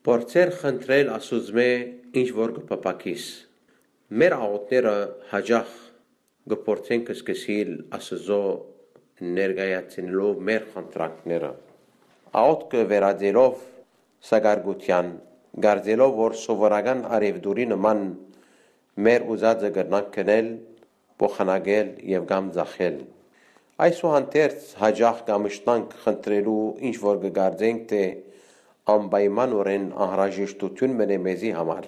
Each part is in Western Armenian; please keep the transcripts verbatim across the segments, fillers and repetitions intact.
Փորձեր խնդրել Աստուծմէ ինչ որ կը փափաքիս։ Մեր աղօթքները հաճախ կը փորձենք սկսիլ Աստուծոյ ներկայացնելով մեր խնդրանքները։ Աղօթքը վերածելով սակարկութեան, կարծելով որ սովորական առեւտուրի նման մեր ուզածը կրնանք գնել, փոխանակել եւ կամ ձախել։ Այսուհանդերձ հաճախ կամշտանք խնդրելու ինչ որ կը կարծենք թէ անպայմանօրէն անհրաժեշտութիւն մնէ մեզի համար,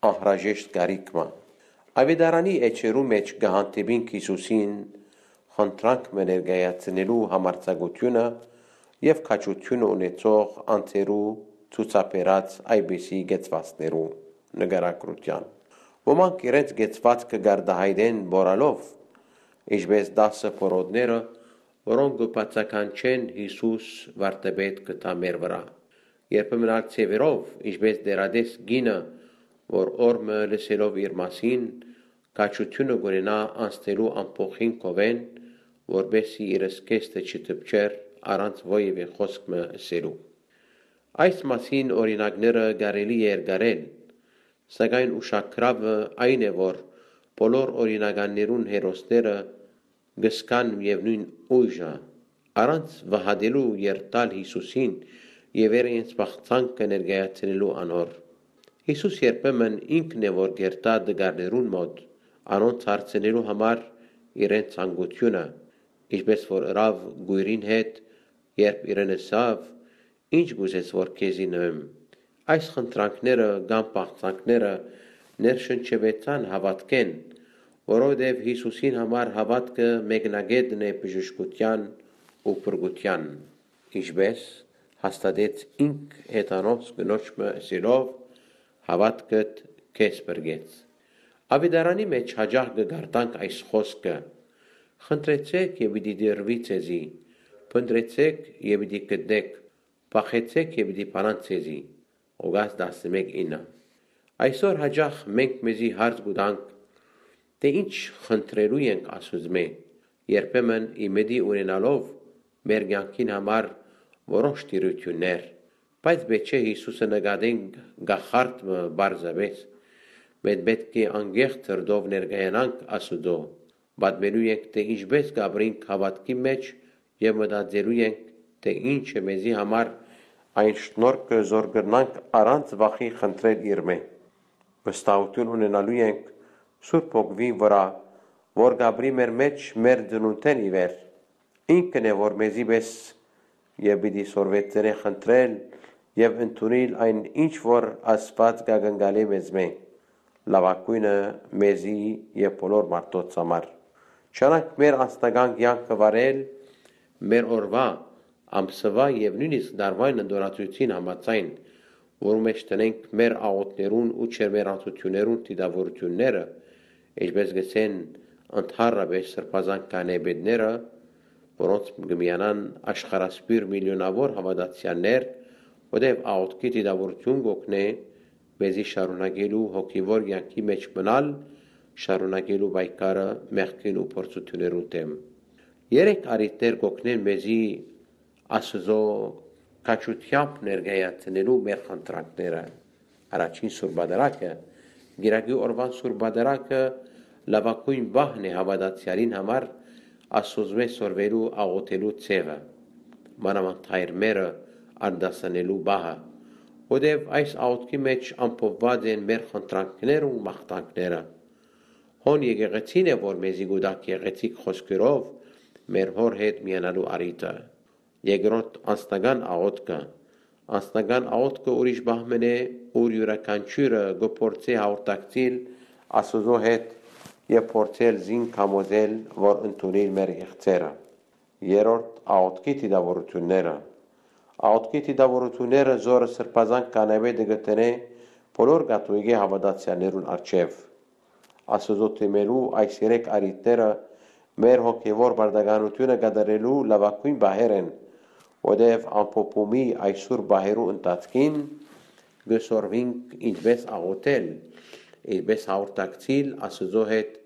անհրաժեշտ կարիք մը։ Աւետարանի էջերու մէջ կը հանդիպինք Յիսուսին խնդրանք մը ներկայացնելու համարձակութիւնը եւ քաջութիւնը ունեցող անձերու ցուցաբերած այպիսի կեցվածքներու նկարագրութեան։ Ոմանք իրենց կեցվածքը կարտահայտեն մոռալով, ինչպէս տասը փորոտները, որոնք կը բացականչեն Յիսուս վարդապետ կը տայ մեր վրայ։ Երբեմն ալ ձեւերով, ինչպէս դեռատես կինը, որ օր մը լսելով իր մասին, քաջութիւնը կ'ունենայ անցնելու ամբոխին քովէն, որպէս զի իր զգեստը չդպչեր առանց որեւէ խօսք մը ըսելու։ Այս մասին օրինակները կարելի է երկարել, սակայն ուշագրաւը այն է, որ բոլոր օրինականներուն հերոսները կը զգան միեւնոյն ուժը, առանց վհատելու երթալ Յիսուսին եւ իրենց բաղձանքը ներկայացնելու անոր։ Յիսուս երբեմն ինքն է, որ կերթայ տկարներուն մօտ, անոնց հարցնելու համար իրենց ցանկութիւնը, ինչպէս որ ըրաւ կոյրին հետ, երբ իրեն ըսաւ. «Ի՞նչ կ'ուզես, որ քեզի նուեմ»։ Այս խնդրանքները կամ բաղձանքները ներշնչուեցան հաւատքէն, որովհետեւ Յիսուսին համար հաւատքը մեկնակէտն է բժշկութեան ու փրկութեան, ինչպէս հաստատեց ինք հեթանոց կնոջ մը ըսելով. «Հաւատքդ քեզ փրկեց»։ Աւետարանի մէջ հաճախ կը կարդանք այս խօսքը. «Խնդրեցէք եւ պիտի տրուի ձեզի, փնտռեցէք եւ պիտի գտնէք, փախեցէք եւ պիտի բանան ձեզի»։ Ղուկաս տասնմէկ ինը։ Այսօր հաճախ մենք մեզի հարց կու տանք, թէ ի՞նչ խնդրելու ենք Աստուծմէ, երբեմն ի մտի ունենալով մեր կեանքին համար որոշ տիրութիւններ, բայց պէտք չէ Յիսուսը նկատենք կախարդ մը պարզապէս։ Մենք պէտք է անկեղծ սրտով ներկայանանք Աստուծոյ, պատմելու ենք թէ ինչպէս կ'ապրինք հաւատքի մէջ եւ մտածելու ենք թէ ի՞նչ է մեզի համար այն շնորհքը, զոր կրնանք առանց վախի խնդրել իրմէ։ Վստահութիւն ունենալու ենք Սուրբ Հոգիին վրայ, որ կ'ապրի մեր մէջ մեր ծնունդէն ի վեր։ Ինքն է, որ մեզի պէս եւ պիտի սորվեցնէ խնդրել եւ ընդունիլ այն, ինչ որ Աստուած կ'ակնկալէ մեզմէ, լաւագոյնը մեզի եւ բոլոր մարդոց համար։ Չանանք մեր անձնական կեանքը վարել մեր օրուայ, ամսուայ եւ նոյնիսկ տարուային ընտորացուցին համաձայն, որու մէջ դնենք մեր աղօթքներուն ու ջերմերանցութիւններուն դիտաւորութիւնները, ինչպէս կ'ըսեն ընդհանրապէս սրբազան քահանայապետները, որոնց կը միանան աշխարհասփիւռ միլիոնաւոր հաւատացեալներ, որտեղ աղօթքի դիտաւորութիւն կ'օգնէ մեզի շարունակելու հոգեւոր կեանքի մէջ մնալ, շարունակելու պայքարը մեղքին ու փորձութիւններուն դէմ։ Երեք առիթներ կ'օգնեն մեզի Աստուծոյ քաջութեամբ ներկայացնելու մեր խնդրանքները։ Առաջին Սուրբ Պատարագը, կիրակի օրուան Սուրբ Պատարագը լաւագոյն պահն է հաւատացեալին համար Աստուծմէ սորվելու աղօթելու ձեւը, մանաւանդ հայրմերը արտասանելու պահը, որտեւ այս աղօթքի մէջ ամփոփուած են մեր խնդրանքներն ու մաղթանքները։ Հոն եկեղեցին է, որ մեզի կու տայ գեղեցիկ խօսքերով մեր Հօր հետ միանալու առիթը։ Երկրորդ, անձնական աղօթքը։ Անձնական աղօթքը ուրիշ պահ մըն է, ուր իւրաքանչիւրը կը փորձէ հաղորդակցիլ Աստուծոյ հետ եւ փորձել զինք համոզել, որ ընդունիլ մեր եղցերը։ Երրորդ, աղօթքի դիտաւորութիւնները։ Աղօթքի դիտաւորութիւնները, զորը սրբազան քահանայապետը կը դնէ բոլոր կաթողիկէ հաւատացեալներուն առջեւ։ Աստուծոյ դիմելու այս երեք առիթները մեր հոգեւոր պարտականութիւնը կատարելու լաւագոյն պահեր են, որտեւ ամփոփումի այս սուր պահերու ընթացքին կը սորվինք ինչպէս աղօթել, ինչպէս հաղորդակցիլ Աստուծոյ հետ,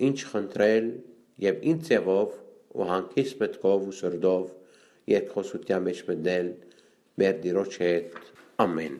ինչ խնդրել եւ ինչ ձեւով ու հանգիստ մտքով ու սրտով երկխօսութեան մէջ մտնել մեր Տիրոջ հետ։ Ամէն։